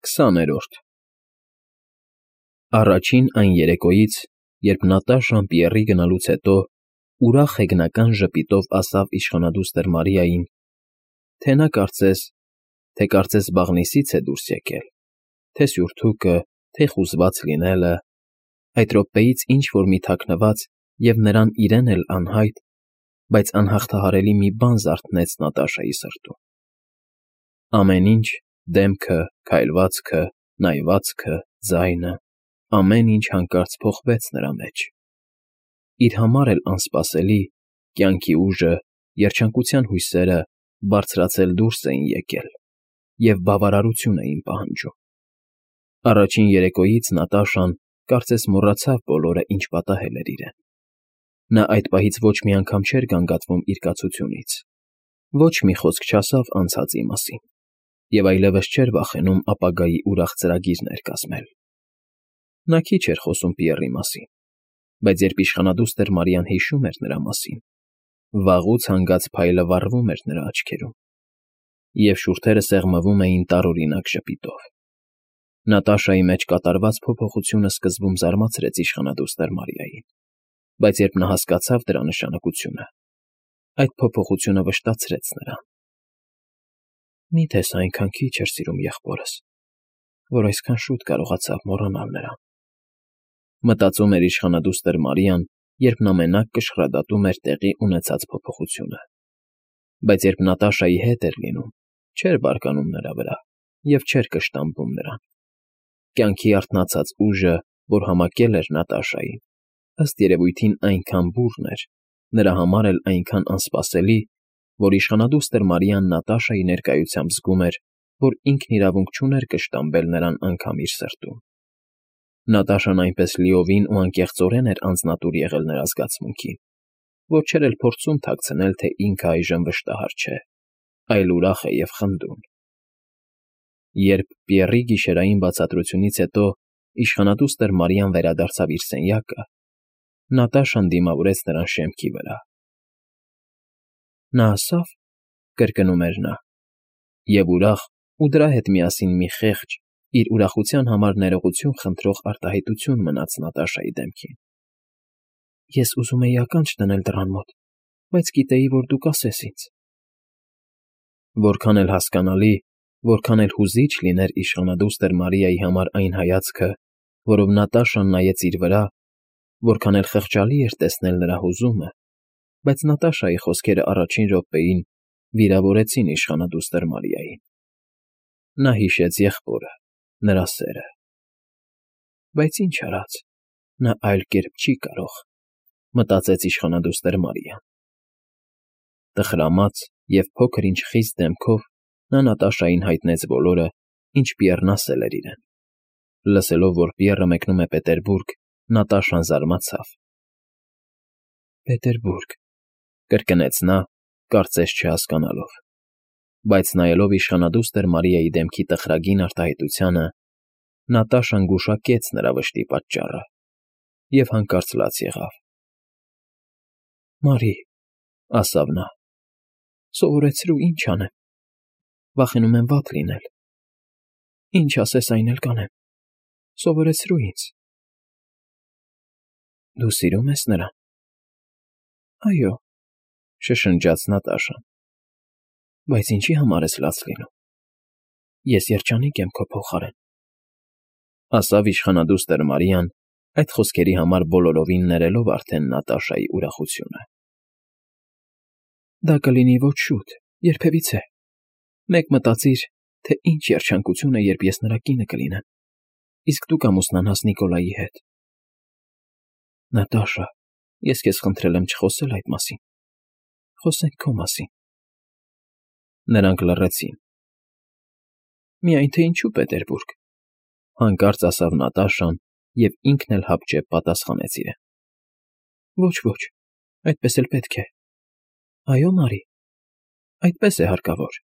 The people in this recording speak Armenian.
20-րդ Առաջին այն երեկոյից, երբ Նատաշան Պիեռի գնալուց հետո ուրախ հեգնական ժպիտով ասավ իշխանադուստր Մարիային, թե նա կարծես բաղնիցից է դուրս եկել, թե սյուրթուկը, թե խուզված լինելը, այդ րոպեից ինչ֊որ մի թաքնված և նրան իրեն էլ անհայտ, բայց անհաղթահարելի մի բան զարթնեց Նատաշայի սրտում. ամեն ինչ, դեմքը, քայլվածքը, նայվածքը, ձայնը, ամեն ինչ հանկարծ փոխվեց նրա մեջ. իր համար էլ անսպասելի, կյանքի ուժը, երջանկության հույսերը բարձրացել դուրս էին եկել և բավարարություն էին պահանջում. առաջին երեկոյից Նատաշան կարծես մոռացավ բոլորը, ինչ պատահել էր իրեն. նա այդ պահից ոչ մի անգամ չէր գանգատվում իր կացությունից, ոչ մի խոսք չասավ անցածի մասին և այլևս չէր վախենում ապագայի ուրախ ծրագիրներ կազմել. նա քիչ էր խոսում Պիեռի մասին, բայց երբ իշխանադուստր Մարիան հիշում էր նրա մասին, վաղուց հանգած փայլը վառվում էր նրա աչքերում, և շուրթերը սեղմվում էին տարօրինակ ժպիտով. Նատաշայի մեջ կատարված փոփոխությունը սկզբում զարմացրեց իշխանադուստր Մարիային, բայց երբ նա հասկացավ դրա նշանակությունը, այդ փոփոխությունը վշտացրեց նրան. «Մի՞թե սա այնքան քիչ էր սիրում եղբորս, որ այսքան շուտ կարողացավ մոռանալ նրան», մտածում էր իշխանադուստր Մարիան, երբ նա մենակ կշռադատում էր տեղի ունեցած փոփոխությունը, բայց երբ Նատաշայի հետ էր լինում, չէր բարկանում նրա վրա և չէր կշտամբում նրան. կյանքի արթնացած ուժը, որ համակել էր Նատաշային, ըստ երևույթին այնքան բուռն էր, նրա համար էլ այնքան անսպասելի, որ իշխանադուստր Մարիան Նատաշայի ներկայությամբ զգում էր, որ ինքն իրավունք չուներ կշտամբել նրան անգամ իր սրտում. Նատաշան այնպես լիովին ու անկեղծորեն էր անձնատուր եղել նրա զգացմունքին, որ չէր էլ փորձում թաքցնել, թե ինքը այժմ վշտահար չէ, այլ ուրախ է և խնդուն. Երբ Պիեռի գիշերային բացատրությունից հետո իշխանադուստր Մարիան վերադարձավ իր սենյակը, Նատաշան դիմավորեց նրան շեմքի վրա. «Նա ասա՞վ,֊ կրկնում էր նա, և ուրախ ու դրա հետ միասին մի խեղճ, իր ուրախության համար ներողություն խնդրող արտահայտություն մնաց Նատաշայի դեմքին։ Ես ուզում էի ականջ դնել դռան մոտ, բայց գիտեի, որ դու կասես ինձ»։ Որքան էլ հասկանալի, որքան էլ հուզիչ լիներ իշխանադուստր Մարիայի համար այն հայացքը, որով Նատաշան նայեց իր վրա, որքան էլ խղճալի էր տեսնել նրա հուզումը, բայց Նատաշայի խոսքերը առաջին րոպեին վիրավորեցին իշխանադուստր Մարիային. նա հիշեց եղբորը, նրա սերը. բայց ինչ արած, նա այլ կերպ չի կարող, մտածեց իշխանադուստր Մարիան. տխրամած և փոքր֊ինչ խիստ դեմքով նա Նատաշային հայտնեց բոլորը, ինչ Պիեռն ասել էր իրեն. լսելով, որ Պիեռը մեկնում է Պետերբուրգ, Նատաշան զարմացավ. «Պետերբուրգ,֊ կրկնեց նա, կարծես չհասկանալով, բայց նայելով իշխանադուստր Մարիայի դեմքի տխրագին արտահայտությանը, Նատաշան գուշակեց նրա վշտի պատճառը և հանկարծ լաց եղավ. «Մարի,֊ ասավ նա,֊ սովորեցրու, ինչ անեմ, վախենում եմ վատ լինել, ինչ ասես, այն էլ կանեմ, սովորեցրու ինձ»։ «Դու սիրում ես նրան»։ «Այո,֊ շշնջաց Նատաշան,֊ բայց ինչի համար ես լաց լինում, ես երջանիկ եմ քո փոխարեն», ասավ իշխանադուստր Մարիան, այդ խոսքերի համար բոլորովին ներելով արդեն Նատաշայի ուրախությունը։ «Դա կլինի ոչ շուտ, երբևիցե, մեկ մտածիր, թե ինչ երջանկություն է, երբ ես նրա կինը կլինեմ, իսկ դու կամուսնանաս Նիկոլայի հետ»։ «Նատաշա, ես քեզ խնդրել եմ չխոսել այդ մասին, խոսենք քո մասին»։ Նրանք լռեցին։ «Միայն թե ինչու Պետերբուրգ,֊ հանկարծ ասավ Նատաշան և ինքն էլ հապճեպ պատասխանեց իրեն. ոչ, այդպես էլ պետք է, այո, Մարի, այդպես է հարկավոր»։